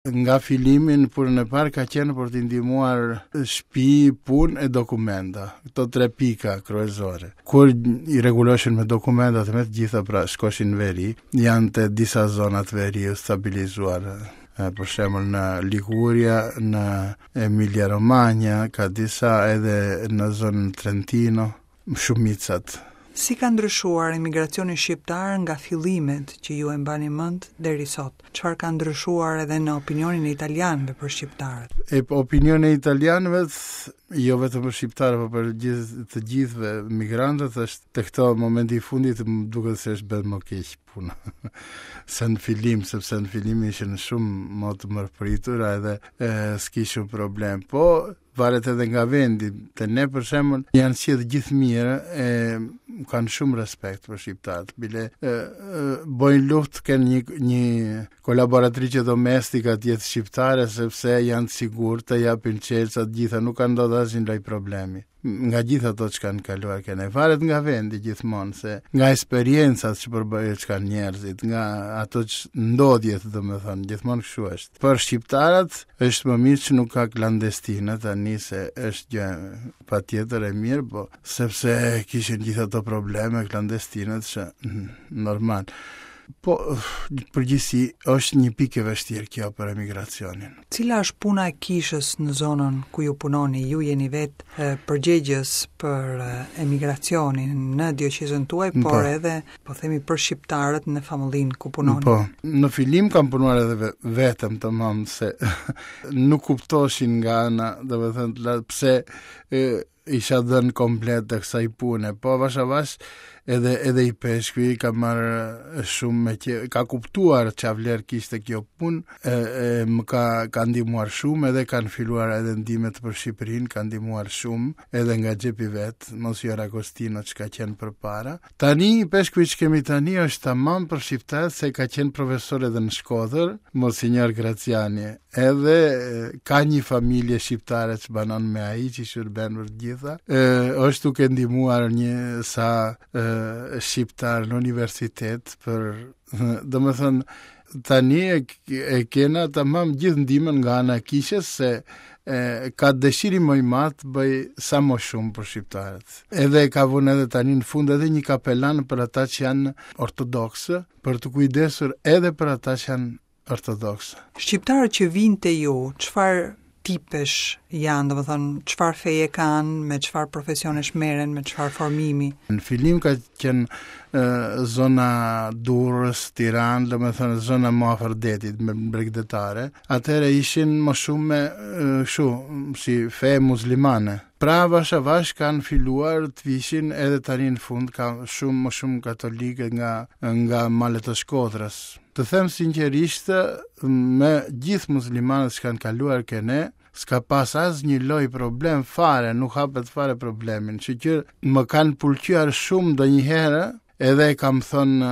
Nga fillimi në punën e parë ka qenë për t'i ndihmuar shtëpi, punë e dokumenta. Këto tre pika kryesore. Kur i rregulloshin me dokumentat me të gjitha, pra shkoshin në veri, janë te disa zona të veriut stabilizuar. Për shembull në Liguria, në Emilia Romagna, ka disa edhe në zonën Trentino, shumicat. Si ka ndryshuar emigracioni shqiptar nga fillimet që ju e mbani mend deri sot? Çfarë ka ndryshuar edhe në opinionin e italianëve për shqiptarët? E po, opinioni e italianëve, jo vetëm për shqiptarët, por për gjithë të gjithëve migrantët është te këto momenti i fundit më duket se është bërë më keq puna. se në fillim, sepse në fillim ishin shumë më të mirëpritur edhe e, s'kishin problem. Po Varet edhe nga vendi. Te ne për shembull janë sjellë gjithë mirë e kanë shumë respekt për shqiptarët. Bile e, e, bojnë luftë kenë një një kolaboratrice domestika të jetë shqiptare sepse janë të sigurt, të japin çelësa të gjitha, nuk ka ndodhur asnjë lloj problemi. Nga gjithë ato që kanë kaluar ke ne. Varet nga vendi gjithmonë se nga eksperiencat që përbëjë që kanë njerëzit, nga ato që ndodhjet, domethënë, gjithmonë kështu është. Për shqiptarët është më mirë që nuk ka klandestinë tani se është gjë patjetër e mirë, po sepse kishin gjithë ato probleme klandestinët që mm, normal. Po, përgjithësi është një pikë e vështirë kjo për emigracionin. Cila është puna e kishës në zonën ku ju punoni? Ju jeni vetë përgjegjës për emigracionin në dioqezën tuaj, por po. edhe po themi për shqiptarët në famullinë ku punoni. Po, në fillim kam punuar edhe vetëm tamam se nuk kuptoshin nga ana, domethënë pse e, isha dhënë komplet të kësaj pune. Po avash avash edhe edhe ipeshkvi ka marrë shumë me që ka kuptuar ça vlerë kishte kjo punë, e, e më ka ka ndihmuar shumë edhe kanë filluar edhe ndihmet për Shqipërinë, ka ndihmuar shumë edhe nga xhepi vet, Monsignor Agostino që ka qenë përpara. Tani ipeshkvi që kemi tani është tamam për shqiptarët se ka qenë profesor edhe në Shkodër, Monsignor Graciani. Edhe ka një familje shqiptare që banon me ai që i shërben për të gjitha. E, është duke ndihmuar një sa e, shqiptar në universitet për domethënë tani e, e kena tamam gjithë ndihmën nga ana e kishës se e, ka dëshirë më i madh të bëj sa më shumë për shqiptarët. Edhe e ka vënë edhe tani në fund edhe një kapelan për ata që janë ortodoksë, për t'u kujdesur edhe për ata që janë ortodoksë. Shqiptarët që vijnë te ju, çfarë tipesh janë, domethënë çfarë feje kanë, me çfarë profesionesh merren, me çfarë formimi? Në fillim ka qenë e, zona Durrës, Tiranë, domethënë zona më afër detit, me bregdetare. Atëherë ishin më shumë me kështu, si fe muslimane. Pra avash avash kanë filluar të vishin edhe tani në fund ka shumë më shumë katolikë nga nga malet e Shkodrës. Të them sinqerisht, me gjithë muslimanët që kanë kaluar ke ne, s'ka pas asnjë lloj problem fare, nuk hapet fare problemin. Që që më kanë pëlqyer shumë ndonjëherë, edhe e kam thënë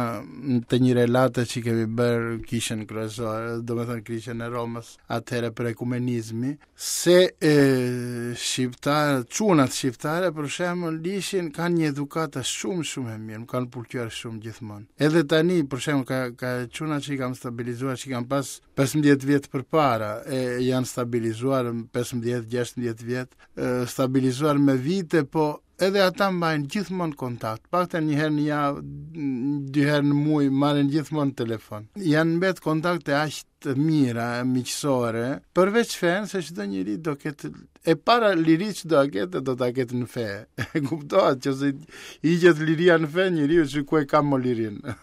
te një relate që kemi bërë kishën kryesore, domethënë kishën e Romës, atëherë për ekumenizmi, se e, shqiptarët, çunat shqiptare për shembull ishin kanë një edukatë shumë shumë e mirë, më kanë pëlqyer shumë gjithmonë. Edhe tani për shembull ka ka çuna që i kam stabilizuar, që i kam pas 15 vjet përpara, e janë stabilizuar 15, 16 vjet, e, stabilizuar me vite, po edhe ata mbajnë gjithmonë kontakt, paktën një herë në javë, dy herë në muaj marrin gjithmonë telefon. Janë mbet kontakte aq të mira, miqësore, përveç fenë se çdo njeri do ketë e para liri që do ta ketë, do ta ketë në fe. E kuptohet që se i hiqet liria në fe njeriu që ku e ka më lirinë.